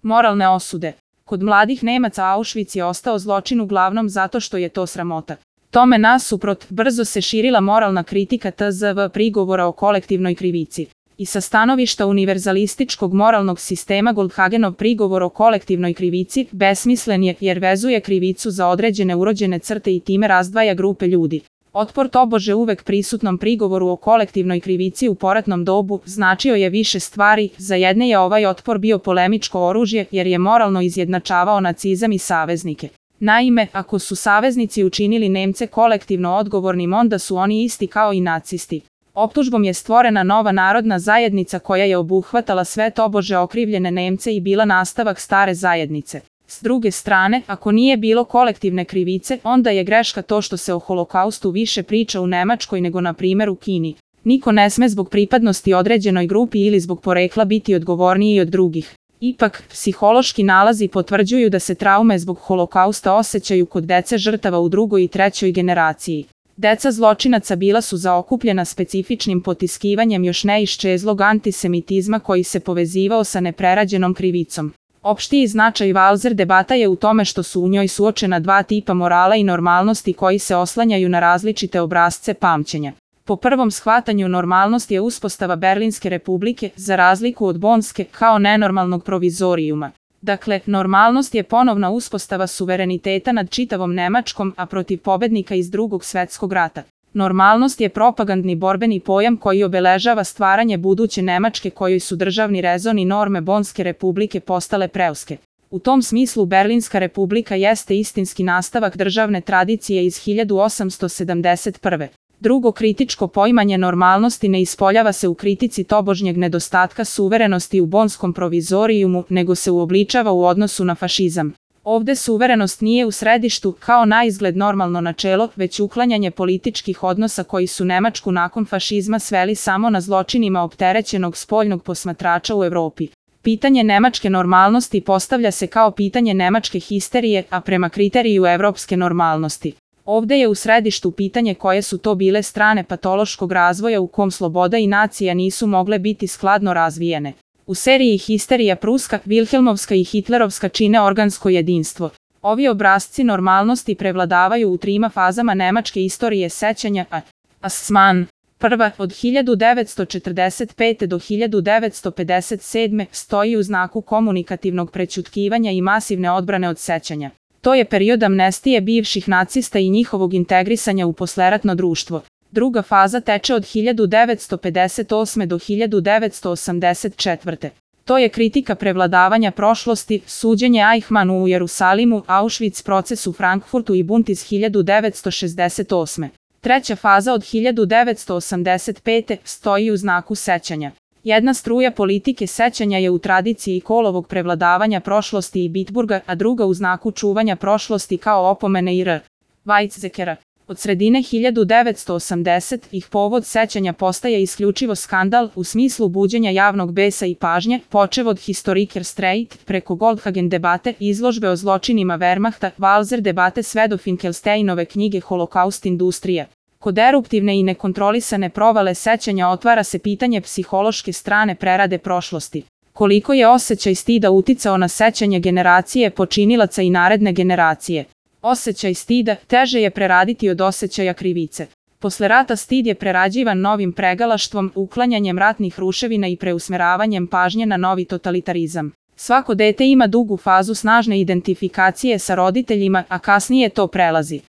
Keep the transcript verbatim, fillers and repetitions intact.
Moralne osude. Kod mladih Nemaca Auschwitz je ostao zločin uglavnom zato što je to sramota. Tome nasuprot, brzo se širila moralna kritika T Z V prigovora o kolektivnoj krivici. I sa stanovišta univerzalističkog moralnog sistema Goldhagenov prigovor o kolektivnoj krivici besmislen je jer vezuje krivicu za određene urođene crte i time razdvaja grupe ljudi. Otpor tobože uvek prisutnom prigovoru o kolektivnoj krivici u poratnom dobu značio je više stvari, za jedne je ovaj otpor bio polemičko oružje jer je moralno izjednačavao nacizam i saveznike. Naime, ako su saveznici učinili Nemce kolektivno odgovornim, onda su oni isti kao i nacisti. Optužbom je stvorena nova narodna zajednica koja je obuhvatala sve tobože okrivljene Nemce i bila nastavak stare zajednice. S druge strane, ako nije bilo kolektivne krivice, onda je greška to što se o holokaustu više priča u Nemačkoj nego na primjer u Kini. Niko ne sme zbog pripadnosti određenoj grupi ili zbog porekla biti odgovorniji od drugih. Ipak, psihološki nalazi potvrđuju da se traume zbog holokausta osjećaju kod dece žrtava u drugoj i trećoj generaciji. Deca zločinaca bila su zaokupljena specifičnim potiskivanjem još neiščezlog antisemitizma koji se povezivao sa neprerađenom krivicom. Opštiji značaj Walser debata je u tome što su u njoj suočena dva tipa morala i normalnosti koji se oslanjaju na različite obrasce pamćenja. Po prvom shvatanju normalnost je uspostava Berlinske republike, za razliku od Bonske, kao nenormalnog provizorijuma. Dakle, normalnost je ponovna uspostava suvereniteta nad čitavom Nemačkom, a protiv pobednika iz Drugog svetskog rata. Normalnost je propagandni borbeni pojam koji obeležava stvaranje buduće Nemačke kojoj su državni rezon i norme Bonske republike postale preuske. U tom smislu Berlinska republika jeste istinski nastavak državne tradicije iz hiljadu osamsto sedamdeset prve. Drugo kritičko poimanje normalnosti ne ispoljava se u kritici tobožnjeg nedostatka suverenosti u Bonskom provizorijumu, nego se uobličava u odnosu na fašizam. Ovde suverenost nije u središtu kao naizgled normalno načelo, već uklanjanje političkih odnosa koji su Nemačku nakon fašizma sveli samo na zločinima opterećenog spoljnog posmatrača u Evropi. Pitanje nemačke normalnosti postavlja se kao pitanje nemačke histerije, a prema kriteriju evropske normalnosti. Ovde je u središtu pitanje koje su to bile strane patološkog razvoja u kom sloboda i nacija nisu mogle biti skladno razvijene. U seriji Histerija pruska, Vilhelmovska i hitlerovska čine organsko jedinstvo. Ovi obrasci normalnosti prevladavaju u trima fazama nemačke istorije sećanja, a Asman. Prva, od hiljadu devetsto četrdeset pete do hiljadu devetsto pedeset sedme, stoji u znaku komunikativnog prećutkivanja i masivne odbrane od sećanja. To je period amnestije bivših nacista i njihovog integrisanja u posleratno društvo. Druga faza teče od hiljadu devetsto pedeset osme do hiljadu devetsto osamdeset četvrte. To je kritika prevladavanja prošlosti, suđenje Eichmannu u Jerusalimu, Auschwitz proces u Frankfurtu i bunt iz hiljadu devetsto šezdeset osme. Treća faza od hiljadu devetsto osamdeset pete stoji u znaku sećanja. Jedna struja politike sećanja je u tradiciji Kohlovog prevladavanja prošlosti i Bitburga, a druga u znaku čuvanja prošlosti kao opomene i R. Weizsäckera. Od sredine hiljadu devetsto osamdesetih povod sećanja postaje isključivo skandal u smislu buđenja javnog besa i pažnje, počev od Historiker Streit, preko Goldhagen debate, izložbe o zločinima Wehrmachta, Walser debate sve do Finkelsteinove knjige Holokaust industrija. Kod eruptivne i nekontrolisane provale sećanja otvara se pitanje psihološke strane prerade prošlosti. Koliko je osjećaj stida uticao na sećanje generacije počinilaca i naredne generacije? Osjećaj stida teže je preraditi od osjećaja krivice. Posle rata stid je prerađivan novim pregalaštvom, uklanjanjem ratnih ruševina i preusmeravanjem pažnje na novi totalitarizam. Svako dete ima dugu fazu snažne identifikacije sa roditeljima, a kasnije to prelazi.